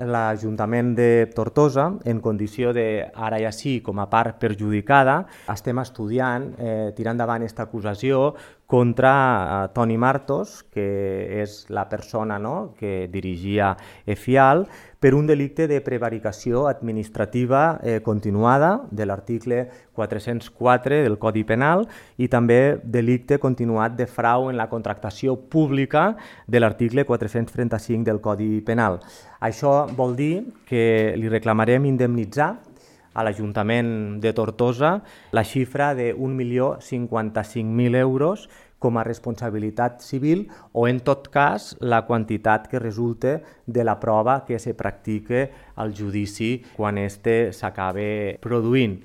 l'Ajuntament de Tortosa, en condició de, ara ja sí, com a part perjudicada, estem estudiant tirar endavant aquesta acusació contra Toni Martos, que és la persona que dirigia EFIAL, per un delicte de prevaricació administrativa continuada de l'article 404 del Codi Penal i també delicte continuat de frau en la contractació pública de l'article 435 del Codi Penal. Això vol dir que li reclamarem indemnitzar a l'Ajuntament de Tortosa la xifra de 1.055.000 euros com a responsabilitat civil o, en tot cas, la quantitat que resulte de la prova que se practique al judici quan este s'acabe produint.